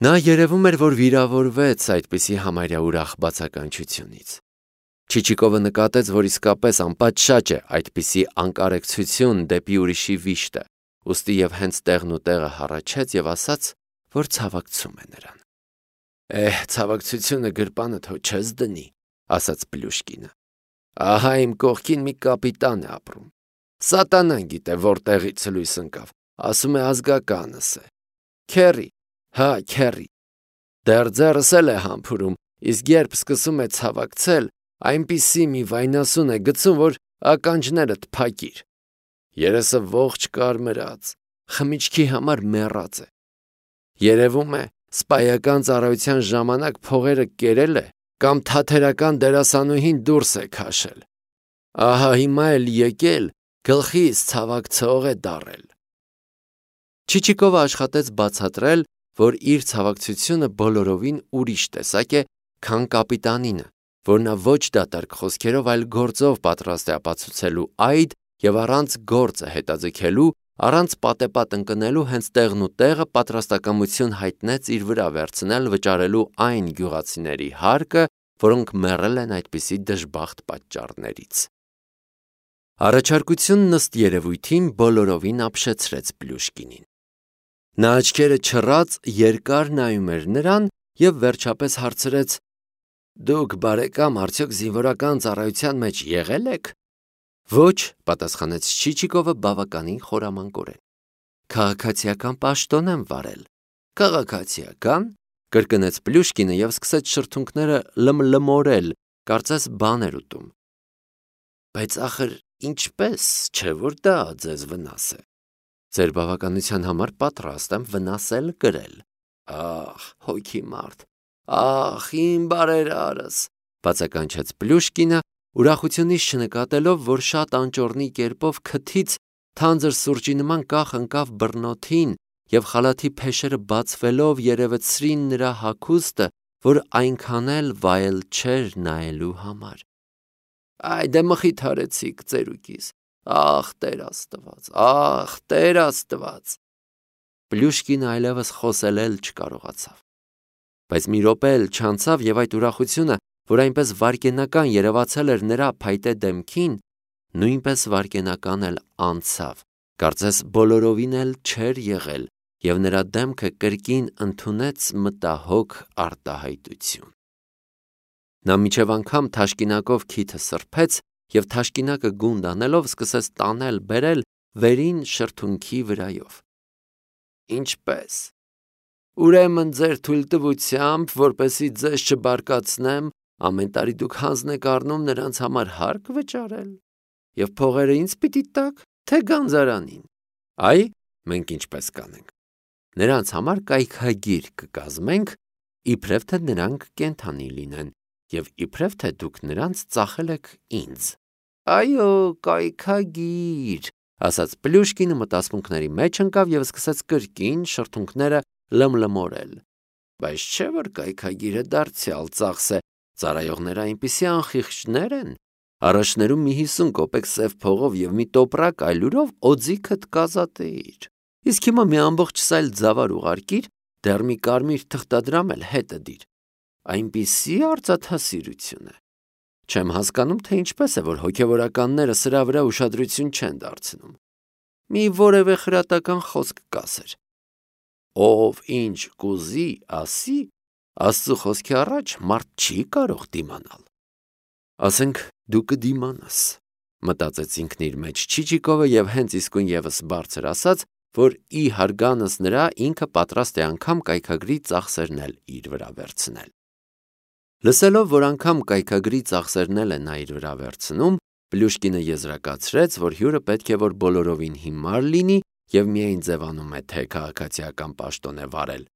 Նա երևում էր, որ վիրավորվեց այդպիսի համարյա ուրախ բացականչությունից։ Չիչիկովը նկատեց, որ իսկապես անպատշաճ է այդպիսի անկարեկցություն դեպի ուրիշի վիշտը, ուստի և հենց տեղն ու տեղը հառաչեց և ասաց, որ ցավակցում է նրան։ Ցավակցությունը գրպանը թո չես դնի, ասաց Պլյուշկինը։ Ահա իմ կողքին մի կապիտան է ապրում։ Սատանան գիտե որտեղից լույս ընկավ, ասում է ազգականս է։ Քերի, հա, քերի։ Դեռ ձեռս էլ է համբուրում, իսկ երբ սկսում է ցավակցել, այնպիսի մի վայնասուն է գցում, որ ականջներդ փակիր։ Երեսը ողջ կարմրած, խմիչքի համար մեռած է։ Երևում է, սպայական ծառայության ժամանակ փողերը կերել է կամ թաթերական դերասանուհին դուրս է քաշել։ Ահա հիմա էլ եկել, գլխիս ցավակցող է դառել։ Չիչիկովը աշխատեց բացատրել, որ իր ցավակցությունը բոլորովին ուրիշ տեսակ է, քան կապիտանինը, որ նա ոչ դատարկ խոսքերով, այլ գործով պատրաստ է ապացուցելու այդ և առանց գործը հետաձգելու, առանց պատեպատ ընկնելու հենց տեղն ու տեղը պատրաստակամություն հայտնեց իր վրա վերցնել վճարելու այն գյուղացիների հարկը, որոնք մեռել են այդպիսի դժբախտ պատճառներից։ Առաջարկությունն ըստ երևույթին բոլորովին ապշեցրեց Պլյուշկինին։ Նա աչքերը չռած երկար նայում էր նրան և վերջապես հարցրեց. Դուք բարեկամ արդյոք զինվորական ծառայության մեջ եղել եք։ Ոչ, պատասխանեց Չիչիկովը բավականին խորամանկորեն։ Քաղաքացիական պաշտոն եմ վարել։ Քաղաքացիական, կրկնեց Պլյուշկինը և սկսեց շրթունքները լմլմորել, կարծես բան էր ուտում։ Բայց ախր ինչպես, չէ՞ որ դա ձեզ վնաս է։ Ձեր բավականության համար պատրաստ եմ վնասել կրել։ Ախ, հոգի մարդ, ախ, իմ բարերարս, բացականչեց Պլյուշկինը, ուրախությունից չնկատելով, որ շատ անճոռնի կերպով քթից թանձր սուրճի նման կախ ընկավ բռնոթին և խալաթի փեշերը բացվելով երևեցրին նրա հագուստը, որ այնքան էլ վայել չէր նայելու համար։ Դե մխիթարեցիք ծերուկիս, ախ Տեր Աստված, ախ Տեր Աստված։ Պլյուշկինը այլևս խոսել էլ չկարողացավ։ Բայց մի րոպե էլ չանցավ և այդ ուրախությունը, որ այնպես վայրկենական երևացել էր նրա փայտե դեմքին, նույնպես վայրկենական էլ անցավ, կարծես բոլորովին էլ չէր եղել, և նրա դեմքը կրկին ընդունեց մտահոգ արտահայտություն։ Նա մինչև անգամ թաշկինակով քիթը սրբեց և թաշկինակը գունդ անելով սկսեց տանել-բերել վերին շրթունքի վրայով։ Ինչպե՞ս։ Ուրեմն ձեր թույլտվությամբ, որպեսզի ձեզ չբարկացնեմ, ամեն տարի դուք հանձն եք առնում նրանց համար հարկ վճարել։ Եվ փողերը ինձ պիտի տաք, թե գանձարանին։ Այ, մենք ինչպես կանենք։ Նրանց համար կայքագիր կկազմենք, իբրև թե նրանք կենդանի լինեն, և իբրև թե դուք նրանց ծախել եք ինձ։ Այո, կայքագիր, ասաց Պլյուշկինը մտասմունքների մեջ ընկավ և սկսեց կրկին շրթունքները լմլմորել։ Բայց չէ՞ որ կայքագիրը դարձյալ ծախս է, ծառայողները այնպիսի անխիղճներ են, առաջներում մի 50 կոպեկ սև փողով և մի տոպրակ այլուրով օձիքդ կազատեիր, իսկ հիմա մի ամբողջ սայլ ձավար ուղարկիր, դեռ մի կարմիր թղթադրամ էլ հետը դիր, այնպիսի արծաթասիրություն է։ Չեմ հասկանում, թե ինչպես է, որ հոգևորականները սրա վրա ուշադրություն չեն դարձնում։ Մի որևէ խրատական խոսք կասեր։ Ով ինչ կուզի, ասի, Աստծու խոսքի առաջ մարդ չի կարող դիմանալ։ Ասենք դու կդիմանաս, մտածեց ինքն իր մեջ Չիչիկովը և հենց իսկույն ևս բարձր ասաց, որ ի հարգանս նրա ինքը պատրաստ է անգամ կայքագրի ծախսերն էլ իր վրա վերցնել։ Լսելով, որ անգամ կայքագրի ծախսերն էլ է նա իր վրա վերցնում, Պլյուշկինը եզրակացրեց, որ հյուրը պետք է որ բոլորովին հիմար լինի և միայն ձևանում է, թե քաղաքացիական պաշտոն է վարել,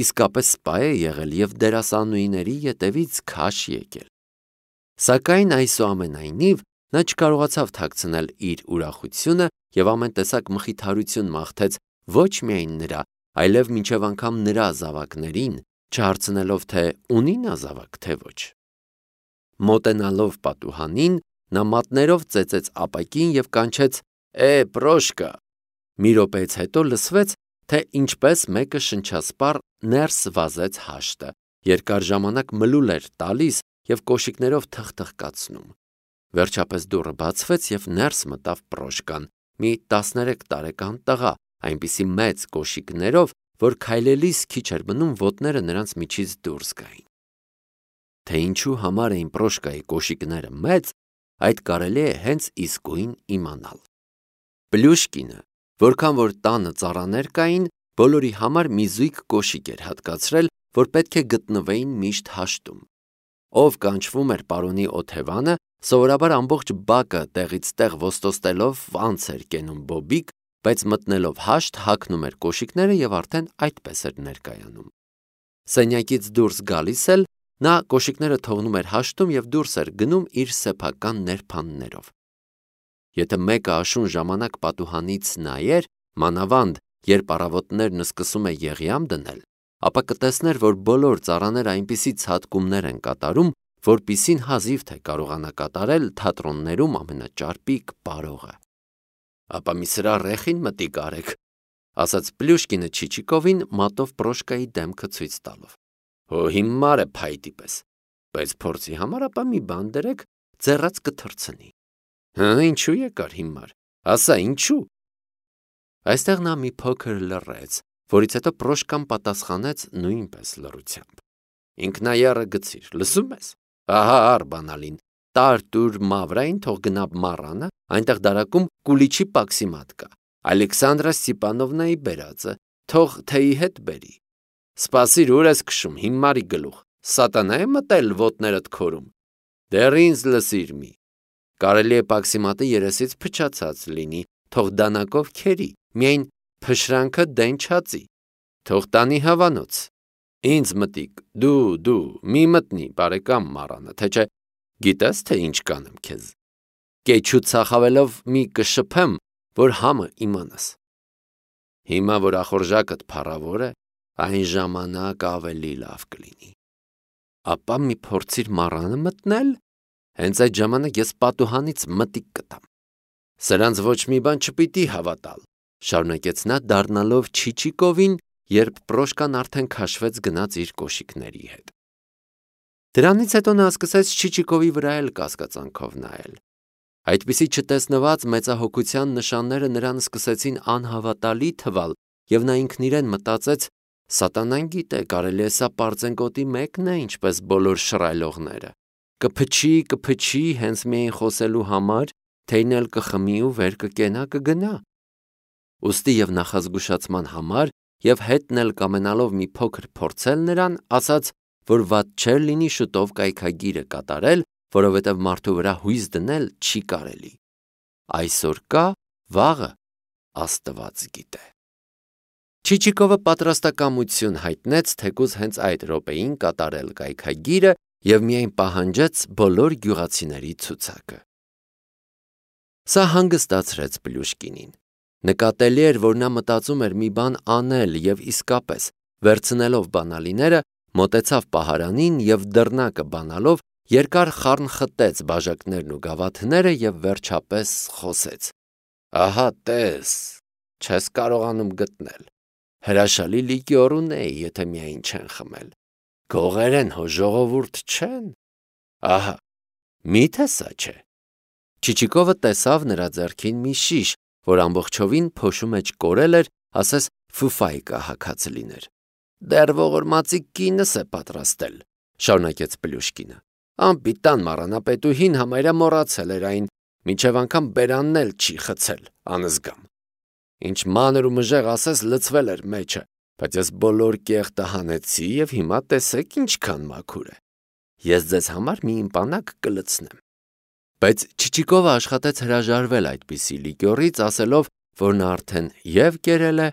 իսկապես սպա է եղել և դերասանուհիների ետևից քաշ եկել։ Սակայն այսուամենայնիվ նա չկարողացավ թաքցնել իր ուրախությունը և ամեն տեսակ մխիթարություն մաղթեց ոչ միայն նրա, այլև մինչև անգամ նրա զավակներին, չհարցնելով, թե ունի նա զավակ, թե ոչ։ Մոտենալով պատուհանին, նա մատներով ծեծեց ապակին և կանչեց. Պրոշկա։ Մի րոպեից հետո լսվեց, թե ինչպես մեկը շնչասպառ ներս վազեց հաշտը, երկար ժամանակ մլուլ էր տալիս և կոշիկներով թխթխկացնում։ Վերջապես դուռը բացվեց և ներս մտավ Պրոշկան, մի 13 տարեկան տղա, այնպիսի մեծ կոշիկներով, որ քայլելիս քիչ էր մնում ոտները նրանց միջից դուրս գային։ Թե ինչու համար էին Պրոշկայի կոշիկները մեծ, այդ կարելի է հենց իսկույն իմանալ։ Պլյուշկինը, որքան որ տանը ծառաներ կային, բոլորի համար մի զույգ կոշիկ էր հատկացրել, որ պետք է գտնվեին միշտ հաշտում։ Ով կանչվում էր պարոնի Օթևանը, սովորաբար ամբողջ բակը տեղից տեղ ոստոստելով անց էր կենում բոբիկ, բայց մտնելով հաշտ հագնում էր կոշիկները և արդեն այդպես էր ներկայանում։ Սենյակից դուրս գալիս էլ նա կոշիկները թողնում էր հաշտում և դուրս էր գնում իր սեփական ներբաններով։ Եթե մեկը աշուն ժամանակ պատուհանից նայեր, մանավանդ երբ առավոտներն սկսում է եղյամ դնել, ապա կտեսներ, որ բոլոր ծառաները այնպիսի ցատկումներ են կատարում, որպիսին հազիվ թե կարողանա կատարել թատրոններում ամենաճարպիկ պարողը։ Ապա մի սրա ռեխին մտիկ արեք, ասաց Պլյուշկինը Չիչիկովին մատով Պրոշկայի դեմքը ցույց տալով։ Հո հիմար է փայտի պես, բայց փորձի համար ապա մի բան դրեք, ձեռած կթռցնի։ Ինչու եկար հիմար, ասա ինչու։ Այստեղ նա մի փոքր լռեց, որից հետո Պրոշկան պատասխանեց նույնպես լռությամբ։ Ինքնայառը գցիր, լսում ես։ Ահա առ բանալին, տար-տուր Մավրային թող գնա մառանը, այնտեղ դարակում կուլիչի պաքսիմատ կա, Ալեքսանդրա Ստիպանովնայի բերածը, թող թեյի հետ բերի։ Սպասիր, ուր ես քշում, հիմարի գլուխ, սատանա է մտել ոտներդ քորում։ Դեռ ինձ լսիր մի։ Կարելի է պաքսիմատը երեսից փչացած լինի, թող դանակով քերի, միայն փշրանքը դեն չածի, թող տանի հավանոց։ Ինձ մտիկ, դու, մի մտնի, բարեկամ մառանը, թե չէ, գիտես, թե ինչ կանեմ քեզ։ Կեչուց ցախավելով մի կշփեմ, որ համը իմանաս։ Հիմա, որ ախորժակդ փառավոր է, այն ժամանակ ավելի լավ կլինի։ Ապա մի փորձիր մառանը մտնել, հենց այդ ժամանակ ես պատուհանից մտիկ կտամ։ Սրանց ոչ մի բան չպիտի հավատալ, շարունակեց նա դառնալով Չիչիկովին, երբ Պրոշկան արդեն քաշվեց գնաց իր կոշիկների հետ։ Դրանից հետո նա սկսեց Չիչիկովի վրա էլ կասկածանքով նայել։ Այդպիսի չտեսնված մեծահոգության նշանները նրան սկսեցին անհավատալի թվալ, և նա ինքն իրեն մտածեց. սատանան գիտե, կարելի է սա պարծենկոտի մեկն է, ինչպես բոլոր շռայլողները։ Կփչի հենց միայն խոսելու համար, թեյն էլ կխմի ու վեր կկենա կգնա։ Ուստի և նախազգուշացման համար և հետն էլ կամենալով մի փոքր փորձել նրան, ասաց, որ վատ չէր լինի շուտով կայքագիրը կատարել, որովհետև մարդու վրա հույս դնել չի կարելի։ Այսօր կա, վաղը Աստված գիտե։ Չիչիկովը պատրաստակամություն հայտնեց թեկուզ հենց այդ րոպեին կատարել կայքագիրը և միայն պահանջեց բոլոր գյուղացիների ցուցակը։ Սա հանգստացրեց Պլյուշկինին։ Նկատելի էր, որ նա մտածում էր մի բան անել և իսկապես, վերցնելով բանալիները, մոտեցավ պահարանին և դռնակը բանալով երկար խառն խտեց բաժակներն ու գավաթները և վերջապես խոսեց. Ահա տես, չես կարողանում գտնել։ Հրաշալի լիկյոր ունեի, եթե միայն չեն խմել։ Գողերեն հո ժողովուրդ չեն։ Ահա, միթե սա չէ։ Չիչիկովը տեսավ նրա ձեռքին մի շիշ, որ ամբողջովին փոշու մեջ կորել էր, ասես ֆուֆայկա հագած լիներ։ Դեռ ողորմածի կինս է պատրաստել, շարունակեց Պլյուշկինը։ Անպիտան մառանապետուհին համարյա մոռացել էր այն, մինչև անգամ բերանն էլ չի խցել, անզգամ։ Ինչ մանր ու մժեղ ասես լցվել էր մեջը, բայց ես բոլոր կեղտը հանեցի և հիմա տեսեք ինչքան մաքուր է։ Ես ձեզ համար մի իմպանակ կլցնեմ։ Բայց Չիչիկովը աշխատեց հրաժարվել այդպիսի լիկյորից, ասելով, որ նա արդեն և կերել է,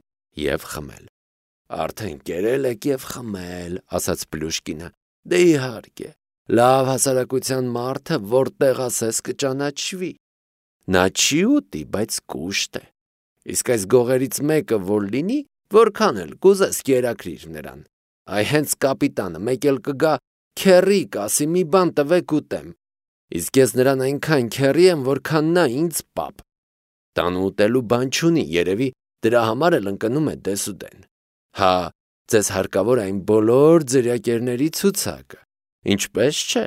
և խմել։ Արդեն կերել եք և խմել, ասաց Պլյուշկինը։ Դե իհարկե, լավ հասարակության մարդը որտեղ ասես կճանաչվի։ Նա չի ուտի, բայց կուշտ է։ Իսկ այս գողերից մեկը որ լինի, որքան էլ կուզես կերակրիր նրան։ Այ հենց կապիտանը մեկ էլ կգա, քեռի կասի մի բան տվեք ուտեմ։ Իսկ ես նրան այնքան քեռի եմ, որքան նա ինձ պապ։ Տանը ուտելու բան չունի, երևի Դրա համար էլ ընկնում է դեսուդեն։ Հա, ձեզ հարկավոր այն բոլոր ձրիակերների ցուցակը։ Ինչպես չէ։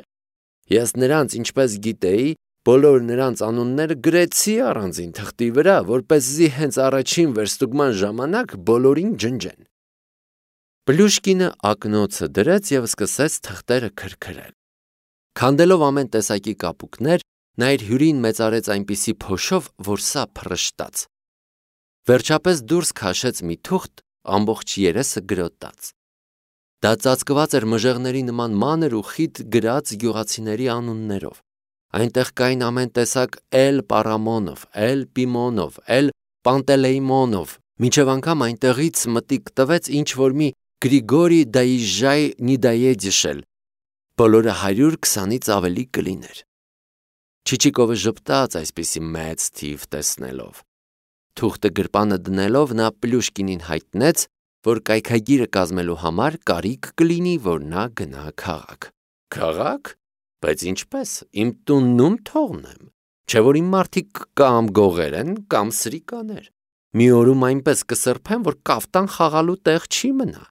Ես նրանց, ինչպես գիտեի, բոլոր նրանց անունները գրեցի առանձին թղթի վրա, որպեսզի հենց առաջին վերստուգման ժամանակ բոլորին ջնջեն։ Պլյուշկինը ակնոցը դրեց և սկսեց թղթերը քրքրել։ Քանդելով ամեն տեսակի կապուկներ, նա իր հյուրին մեծարեց այնպիսի փոշով, որ սա փռշտաց։ Վերջապես դուրս քաշեց մի թուղթ, ամբողջ երեսը գրոտած։ Դա ծածկված էր մժեղների նման մանր ու խիտ գրած գյուղացիների անուններով։ Այնտեղ կային ամեն տեսակ Էլ Պարամոնով, Էլ Պիմոնով, Էլ Պանտելեյմոնով, մինչև անգամ այնտեղից մտիկ տվեց ինչ-որ մի Գրիգորի Դայիժայ Նիդայեդիշել, բոլորը 120-ից ավելի կլիներ։ Չիչիկովը ժպտաց այսպիսի մեծ թիվ տեսնելով։ Թուղթը գրպանը դնելով նա Պլյուշկինին հայտնեց, որ կայքագիրը կազմելու համար կարիք կլինի, որ նա գնա քաղաք։ Քաղաք? Բայց ինչպես, իմ տուննում թողնեմ, չէ որ իմ մարդիկ կամ գողեր են, կամ սրիկաներ։ Մի օրում այնպես կսրբեմ, որ կաֆտան խաղալու տեղ չի մնա։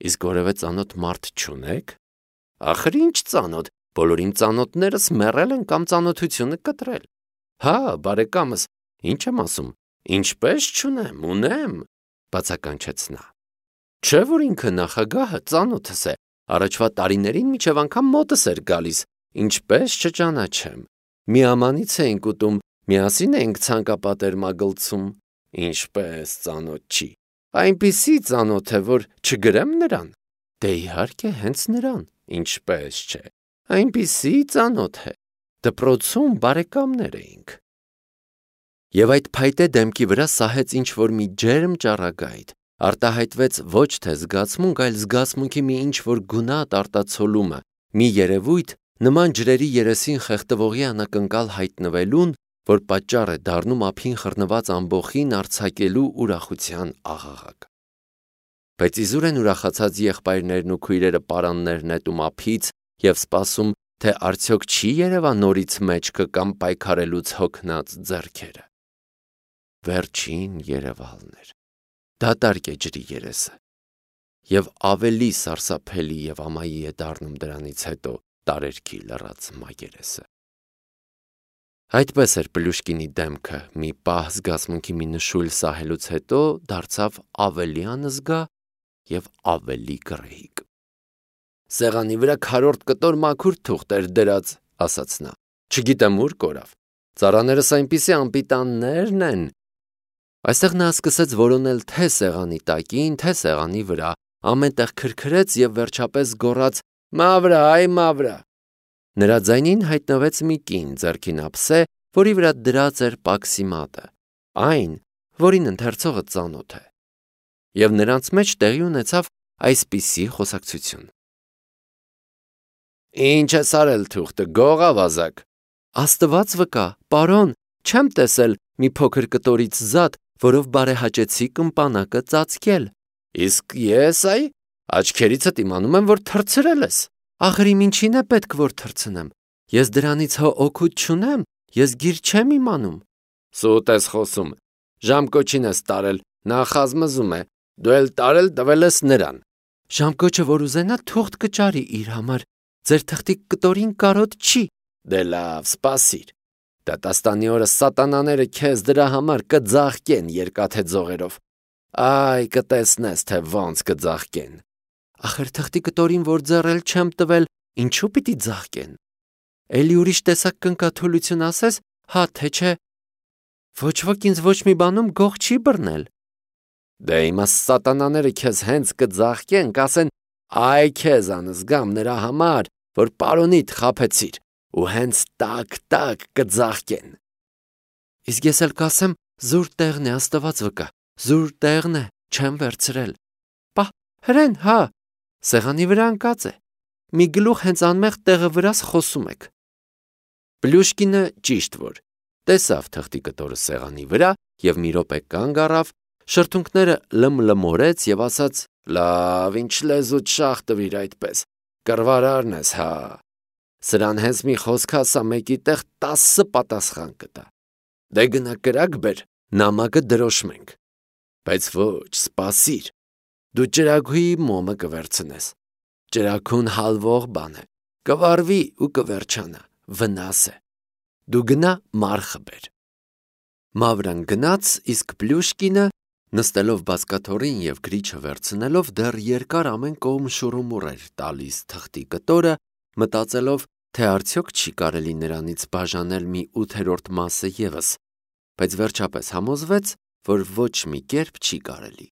Իսկ որևէ ծանոթ մարդ չունեք։ Ախր ինչ ծանոթ, բոլոր իմ ծանոթներս մեռել են կամ ծանոթությունը կտրել։ Հա, բարեկամս, ինչ եմ ասում, ինչպես չունեմ, ունեմ, բացականչեց նա։ Չէ որ ինքը նախագահը ծանոթս է, առաջվա տարիներին մինչև անգամ մոտս էր գալիս, ինչպես չճանաչեմ։ Մի ամանից էինք ուտում, միասին էինք ցանկապատերմագլցում, ինչպես ծանոթ չի։ Այնպիսի ծանոթ է, որ չգրեմ նրան։ Դե իհարկե հենց նրան, ինչպես չէ։ Այնպիսի ծանոթ է։ Դպրոցում բարեկամներ էինք։ Եվ այդ փայտե դեմքի վրա սահեց ինչ-որ մի ջերմ ճառագայթ, արտահայտվեց ոչ թե զգացմունք, այլ զգացմունքի մի ինչ-որ գունատ արտացոլումը, մի երևույթ, նման ջրերի երեսին խեղդվողի անակնկալ հայտնվելուն, որ պատճառ է դառնում ափին խռնված ամբոխին արձակելու ուրախության աղաղակ։ Բայց իզուր են ուրախացած եղբայրներն ու քույրերը պարաններ նետում ափից և սպասում, թե արդյոք չի երևա նորից մեջքը կամ պայքարելուց հոգնած ձեռքերը։ Վերջին երևալն էր։ Դատարկ է ջրի երեսը։ Եվ ավելի սարսափելի և ամայի է դառնում դրանից հետո տարերքի լռած մակերեսը։ Այդպես էր Պլյուշկինի դեմքը մի պահ զգացմունքի մի նշույլ սահելուց հետո դարձավ ավելի անզգա և ավելի գռեհիկ։ Սեղանի վրա քառորդ կտոր մաքուր թուղթ էր դրած, ասաց նա։ Չգիտեմ ուր կորավ։ Ծառաներս այնպիսի անպիտաններն են։ Այստեղ նա սկսեց որոնել թե սեղանի տակին, թե սեղանի վրա, ամեն տեղ քրքրեց և վերջապես գոռաց. «Մավրա, այ մավրա»։ Նրա ձայնին հայտնվեց մի կին ձեռքին ափսե, որի վրա դրած էր պաքսիմատը, այն, որին ընթերցողը ծանոթ է։ Եվ նրանց մեջ տեղի ունեցավ այսպիսի խոսակցություն. Ինչ ես արել թուղթը, գող ավազակ։ Աստված վկա, պարոն, չեմ տեսել մի փոքր կտորից զատ, որով բարեհաճեցի կմպանակը ծածկել։ Իսկ ես այ աչքերիցդ իմանում եմ, որ թռցրել ես։ Ախր իմ ինչին է պետք որ թռցնեմ։ Ես դրանից հո օգուտ չունեմ, ես գիր չեմ իմանում։ Սուտ ես խոսում։ Ժամկոչին ես տարել, նա խազմզում է, դու էլ տարել տվել ես նրան։ Ժամկոչը որ ուզենա թուղթ կճարի իր համար, ձեր թղթի կտորին կարոտ չի։ Դե լավ, սպասիր։ Դատաստանի օրը սատանաները քեզ դրա համար կձաղկեն երկաթե ձողերով։ Այ կտեսնես, թե ոնց կձաղկեն։ Ախր թղթի կտորին որ ձեռել չեմ տվել, ինչու պիտի ձաղկեն։ Էլի ուրիշ տեսակ կնկաթոլություն ասես, հա թե չէ։ Ոչ ոք ինձ ոչ մի բանում գող չի բռնել։ Դե իմա սատանաները քեզ հենց կձաղկեն, կասեն, այ քեզ անզգամ նրա համար, որ պարոնիդ խաբեցիր, ու հենց տակ կձաղկեն։ Իսկ ես էլ կասեմ, զուր տեղն է, Աստված վկա, զուր տեղն է, չեմ վերցրել։ Պահ, հրեն, հա, սեղանի վրա ընկած է։ Մի գլուխ հենց անմեղ տեղը վրաս խոսում եք։ Պլյուշկինը ճիշտ որ տեսավ թղթի կտորը սեղանի վրա և մի րոպե կանգ առավ, շրթունքները լմլմորեց և ասաց. լավ, ինչ լեզուդ շաղ տվիր այդպես, կռվարարն ես, հա։ Սրան հենց մի խոսք ասա, մեկի տեղ 10 պատասխան կտա։ Դե գնա կրակ բեր, նամակը դրոշմենք։ Բայց ոչ, սպասիր, դու ճրագուի մոմը կվերցնես, ճրագուն հալվող բան է, կվարվի ու կվերջանա, վնաս է, դու գնա մարխը բեր։ Մավրան գնաց, իսկ Պլյուշկինը, նստելով բազկաթոռին և գրիչը վերցնելով, դեռ երկար ամեն կողմ շուռումուռ էր տալիս թղթի կտորը, մտածելով, թե արդյոք չի կարելի նրանից բաժանել մի 8-րդ մասը ևս, բայց վերջապես համոզվեց, որ ոչ մի կերպ չի կարելի։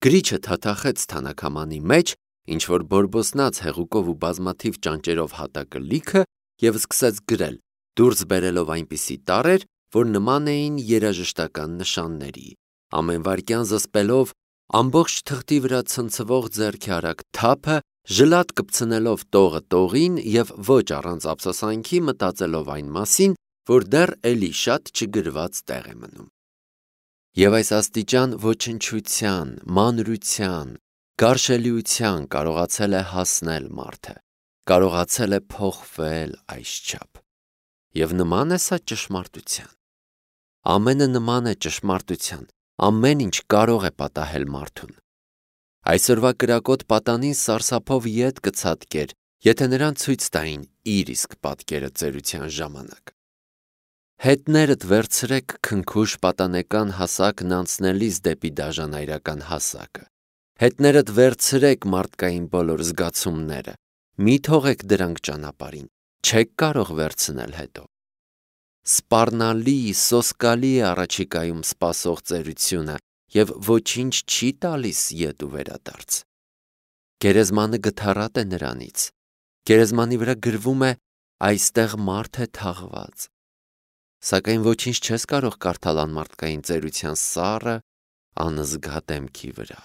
Գրիչը թաթախեց թանաքամանի մեջ, ինչ-որ բորբոսնած հեղուկով ու բազմաթիվ ճանճերով հատակը լիքը և սկսեց գրել, դուրս բերելով այնպիսի տառեր, որ նման էին երաժշտական նշանների, ամեն վայրկյան զսպելով, ամբողջ թղթի վրա ցնցվող ձեռքի արագ թափը, ժլատ կպցնելով տողը տողին և ոչ առանց ափսոսանքի մտածելով այն մասին, որ դեռ էլի շատ չգրված տեղ է մնում։ Եվ այս աստիճան ոչնչության, մանրության, գարշելիության կարողացել է հասնել մարդը, կարողացել է փոխվել այսչափ։ Եվ նման է սա ճշմարտության։ Ամենը նման է ճշմարտության, ամեն ինչ կարող է պատահել մարդուն։ Այսօրվա կրակոտ պատանին սարսափով ետ կցատկեր, եթե նրան ցույց տային իր իսկ պատկերը ծերության ժամանակ։ Հետներդ վերցրեք քնքուշ պատանեկան հասակն անցնելիս դեպի դաժանայրական հասակը։ Հետներդ վերցրեք մարդկային բոլոր զգացումները, մի թողեք դրանք ճանապարհին, չեք կարող վերցնել հետո։ Սպառնալի, սոսկալի է առաջիկայում սպասող ծերությունը և ոչինչ չի տալիս ետ ու վերադարձ։ Գերեզմանը գթառատ է նրանից, գերեզմանի վրա գրվում է այստեղ մարդ է թաղված, սակայն ոչինչ չես կարող կարդալ անմարդկային ծերության սառը, անզգա դեմքի վրա։